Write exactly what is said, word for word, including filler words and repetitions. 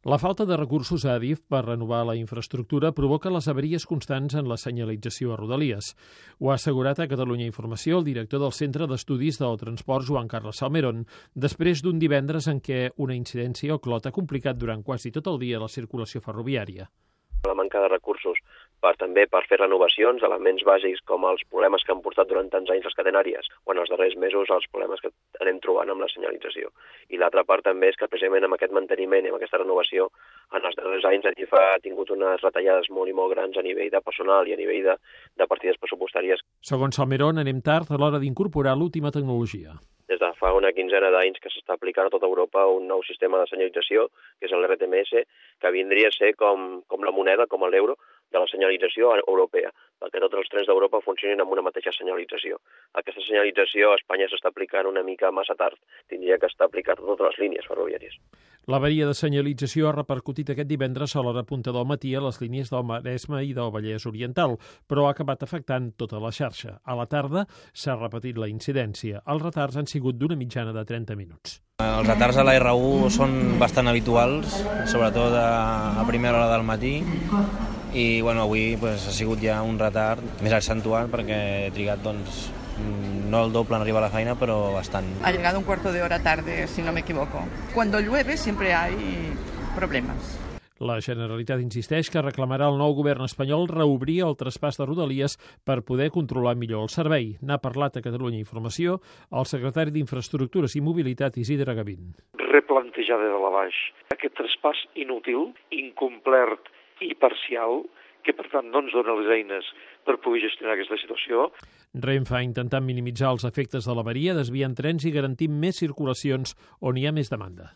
La falta de recursos a Adif per renovar la infraestructura provoca les avaries constants en la senyalització a Rodalies. Ho ha assegurat a Catalunya Informació el director del Centre d'Estudis del Transport, Joan Carles Salmerón, després d'un divendres en què una incidència o clot ha complicat durant quasi tot el dia la circulació ferroviària. La manca de recursos per també per fer renovacions, elements bàsics com els problemes que han portat durant tants anys les catenàries o en els darrers mesos els problemes que anem trobant amb la senyalització. I l'altra part també és que precisament amb aquest manteniment i amb aquesta renovació en els darrers anys Adif ha tingut unes retallades molt i molt grans a nivell de personal i a nivell de, de partides pressupostàries. Segons Salmerón, anem tard a l'hora d'incorporar l'última tecnologia. Des de fa una quinzena d'anys que s'està aplicant a tota Europa un nou sistema de senyalització, que és l'R T M S, que vindria a ser com, com la moneda, com l'euro, de la senyalització europea, perquè tots els trens d'Europa funcionin amb una mateixa senyalització. Aquesta senyalització a Espanya s'està aplicant una mica massa tard. Tindria que estar aplicada a totes les línies ferroviàries. L'avaria de senyalització ha repercutit aquest divendres a l'hora punta del matí a les línies del Maresme i del Vallès Oriental, però ha acabat afectant tota la xarxa. A la tarda s'ha repetit la incidència. Els retards han sigut d'una mitjana de trenta minuts. Els retards a la R u són bastant habituals, sobretot a primera hora del matí, i bueno, avui pues, ha sigut ja un retard més accentuat perquè he trigat doncs, no el doble en arribar a la feina, però bastant. Ha llegado un cuarto de hora tarde, si no me equivoco. Cuando llueve siempre hay problemas. La Generalitat insisteix que reclamarà al nou govern espanyol reobrir el traspàs de Rodalies per poder controlar millor el servei. N'ha parlat a Catalunya Informació el secretari d'Infraestructures i Mobilitat, Isidre Gavín. Replantejar de dalt a baix aquest traspàs inútil, incomplert i parcial, que per tant no ens dona les eines per poder gestionar aquesta situació. Renfe ha intentat minimitzar els efectes de l'avaria, desviant trens i garantint més circulacions on hi ha més demanda.